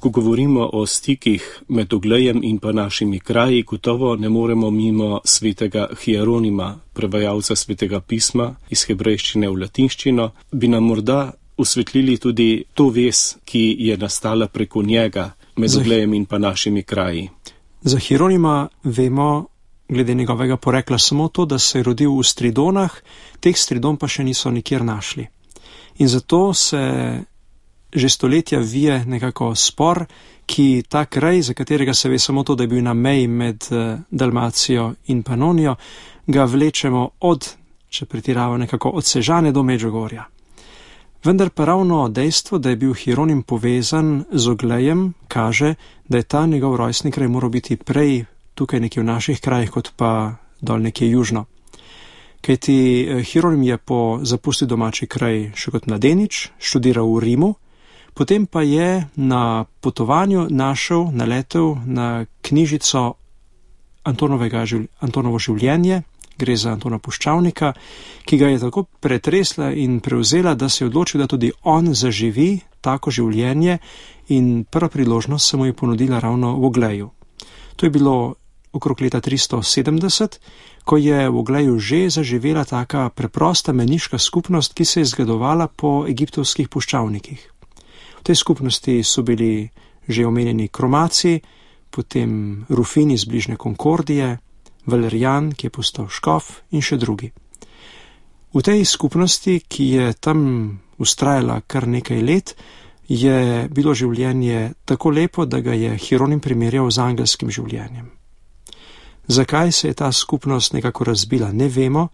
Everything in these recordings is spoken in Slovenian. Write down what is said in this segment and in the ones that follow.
Ko govorimo o stikih med Oglejem in pa našimi kraji, gotovo ne moremo mimo svetega Hieronima, prevajalca svetega pisma iz hebrejščine v latinščino. Bi nam morda osvetlili tudi to vez, ki je nastala preko njega med Oglejem in pa našimi kraji? Za Hieronima vemo, glede njegovega porekla, samo to, da se je rodil v Stridonah, teh Stridon pa še niso nikjer našli. In zato se že stoletja vije nekako spor, ki ta kraj, za katerega se ve samo to, da je bil na meji med Dalmacijo in Panonijo, ga vlečemo od, če pretirava, nekako od Sežane do Medžugorja. Vendar pa ravno dejstvo, da je bil Hieronim povezan z Oglejem, kaže, da je ta njegov rojstni kraj moral biti prej tukaj nekje v naših krajih, kot pa dol nekje južno. Kajti Hieronim je po zapustil domači kraj še kot mladenič, študiral v Rimu, potem pa je na potovanju naletel na knjižico Antonovo življenje, gre za Antona Puščavnika, ki ga je tako pretresla in prevzela, da se je odločil, da tudi on zaživi tako življenje, in prva priložnost se mu je ponudila ravno v Ogleju. To je bilo okrog leta 370, ko je v Ogleju že zaživela taka preprosta meniška skupnost, ki se je zgledovala po egiptovskih puščavnikih. V tej skupnosti so bili že omenjeni Kromaci, potem Rufin iz bližnje Konkordije, Valerijan, ki je postal škof, in še drugi. V tej skupnosti, ki je tam vztrajala kar nekaj let, je bilo življenje tako lepo, da ga je Hieronim primerjal z angelskim življenjem. Zakaj se je ta skupnost nekako razbila, ne vemo,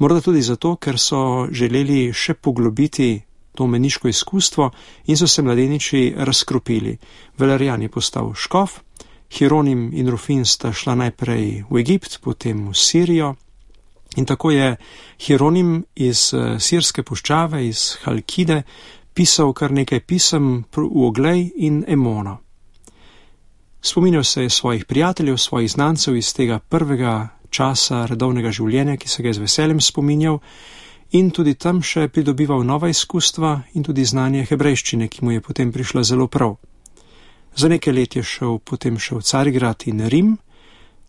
morda tudi zato, ker so želeli še poglobiti to meniško izkustvo in so se mladeniči razkropili. Valerijan je postal škof, Hieronim in Rufin sta šla najprej v Egipt, potem v Sirijo, in tako je Hieronim iz sirske puščave, iz Halkide, pisal kar nekaj pisem v Oglej in Emono. Spominjal se je svojih prijateljev, svojih znancev iz tega prvega časa redovnega življenja, ki se ga je z veseljem spominjal, in tudi tam še pridobival nova izkustva in tudi znanje hebrejščine, ki mu je potem prišla zelo prav. Za nekaj let je šel potem še v Carigrad in Rim,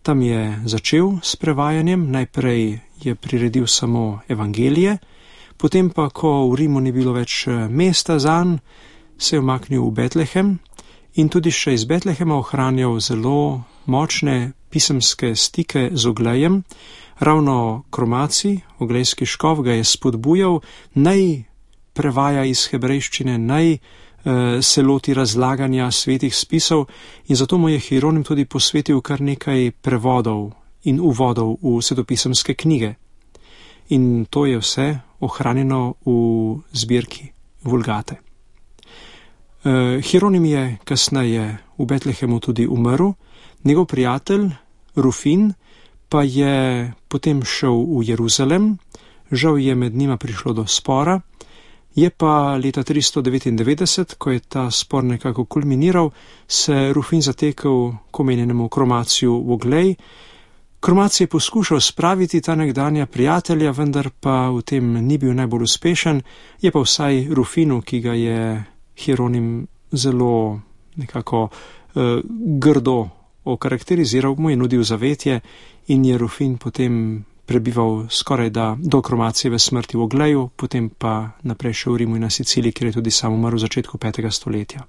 tam je začel s prevajanjem, najprej je priredil samo evangelije, potem pa, ko v Rimu ni bilo več mesta zanj, se je umaknil v Betlehem in tudi še iz Betlehema ohranjal zelo močne pisemske stike z Oglejem. Ravno Kromaci, oglejski škof, ga je spodbujal, naj prevaja iz hebrejščine, naj se loti razlaganja svetih spisov, in zato mu je Hieronim tudi posvetil kar nekaj prevodov in uvodov v svetopisemske knjige. In to je vse ohranjeno v zbirki Vulgate. Hieronim je kasneje v Betlehemu tudi umrl, njegov prijatelj Rufin pa je potem šel v Jeruzalem, žal je med njima prišlo do spora, je pa leta 399, ko je ta spor nekako kulminiral, se Rufin zatekel k omenjenemu Kromaciju v Oglej. Kromaci je poskušal spraviti ta nekdanja prijatelja, vendar pa v tem ni bil najbolj uspešen, je pa vsaj Rufinu, ki ga je Hieronim zelo nekako grdo okarakteriziral, mu je nudil zavetje in je Rufin potem prebival skoraj da do Kromacijeve smrti v Ogleju, potem pa naprej še v Rimu in na Siciliji, kjer je tudi sam umrl v začetku 5. stoletja.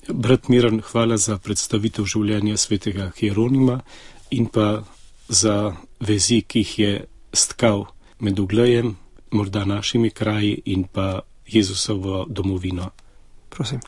Brat Miran, hvala za predstavitev življenja svetega Hieronima in pa za vezi, ki jih je stkal med Oglejem, morda našimi kraji in pa Jezusovo domovino. Prosim.